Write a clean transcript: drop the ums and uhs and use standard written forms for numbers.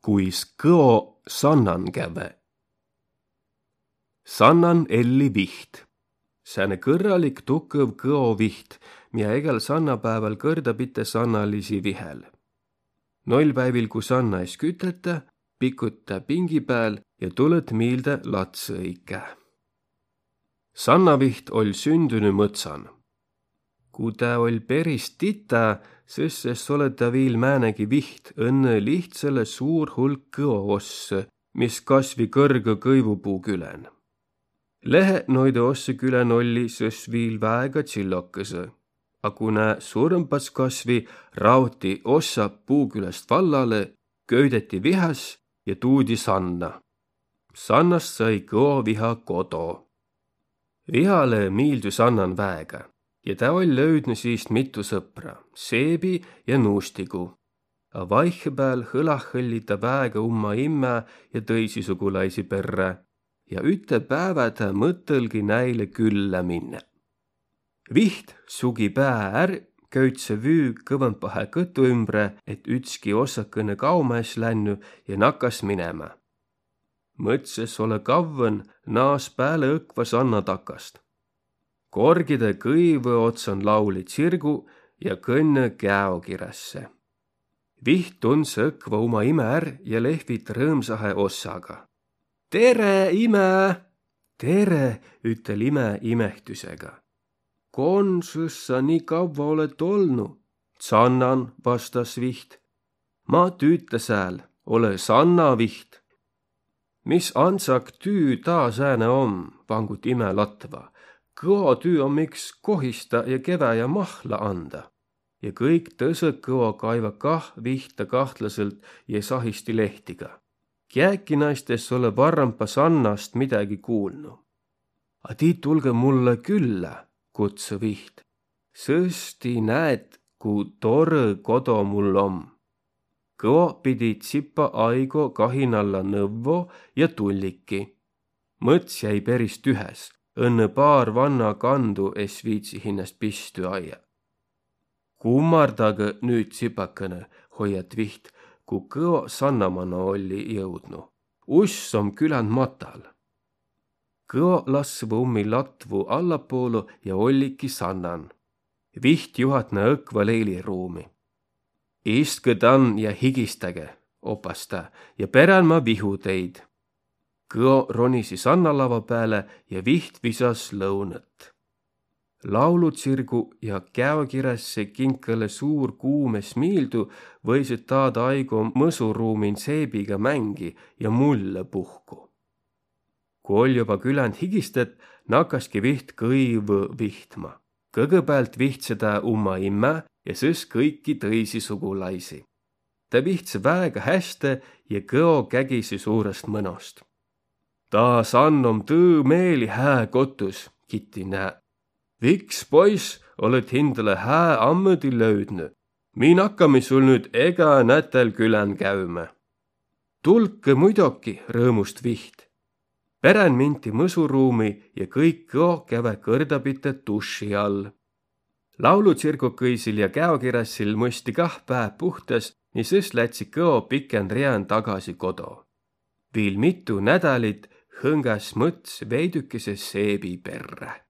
kuis kõo sannan käve. Sannan elli viht. Sääne kõrralik tukõv kõo viht, mida egel sannapäeval kõrdapite sannalisi vihel. Noilpäivil, kui sanna ees kütete, pikute pingi pääl ja tuled miilde latsõike. Sannaviht oll sündüny mõtsan. Kui ta oll peris tita, sõsses oleta viil määnegi viht õnne lihtsale suur hulk kõo osse, mis kasvi kõrga kõivupuu külen. Lehe noide osse külen olli sõs viil väega tsillokõse, a kuna suurempas kasvi rauti ossa puukülest vallale, köydeti vihas ja tuudi sanna. Sannast sai kõo viha kodo. Vihale miildu sannan väega ja ta oll löydnud siist mitu sõpra, Seebi ja Nuustigu. A vaihepääl hõlahõlli ta väega umma imme ja tõisi sugulaisi perre ja üte päevä ta mõttelgi näile külla minne. Viht sugi pää är, köütse vüü kõvampahe kõtu ümbre, et ütski ossakõne kaumaes lännu ja nakas minema. Mõtses ole kavvõn naas pääle õkva sanna takast. Korgide kõivõ otsan lauli tsirgu ja kõnne käokirässe. Viht tuns õkva uma ime är ja lehvit rõõmsahe ossaga. Tere, ime! Tere, ütel ime imehtüsega. Konsus sa nii kavva oled olnu? Sannan, vastas Viht. Ma tüüta sääl, ole Sanna Viht. Mis ansak tüü taa sääne om, vangut ime latva. Kõo tüü on miks kohista ja kevä ja mahla anda. Ja kõik tõsõd kõo kaiva kah Vihta kahtlaselt ja sahisti lehtiga. Kiäki naistes ole varrampa Sannast midagi kuulnu. A tii tulge mulle külla, kutsu Viht. Sõsti näed, kui tore kodo mul om. Kõo pidi tsipa aigo kahinalla nõvvo ja tulliki. Mõts jäi peris tühes, õnne paar vanna kandu es viitsi hinnast pistu aia. Kummardage nüüd tsipakene, hoiat Viht, kui kõo Sannamana olli jõudnu. Uss om küländ matal. Kõo lasvu ummi latvu allapoolu ja olliki Sannan. Viht juhatna õkva leiliruumi. Istke tan ja higistage, opas ta, ja perän ma vihu teid. Kõo ronisi Sannalava pääle ja Viht visas lõunat. Laulutsirgu ja käokirässe kinkale suur kuumes miildu võisid taada aigo mõsuruumin Seebiga mängi ja mulle puhku. Kui oli juba küländ higistet, nakaski Viht kõivu vihtma. Kõgõpäält vihtseda umma imme ja sõs kõiki tõisi sugulaisi. Ta vihtse väega häste ja kõo kägisi suurest mõnost. Ta sannom tõõ meeli hää kotus, kiti nää. Viks, poiss, oled hindale hää ammõdi löydnu. Min hakkami sul nüüd ega nätel külän käüme. Tulke muidoki, rõõmust Viht. Perän minti mõsuruumi ja kõik kõo käve kõrdapite duši all. Laulutsirgukõisil ja käokirässil mõsti kah päev puhtas, nii sõs lätsi kõo pikend rean tagasi kodo. Viil mitu nädalit hõngas mõts veidükese Seebi perre.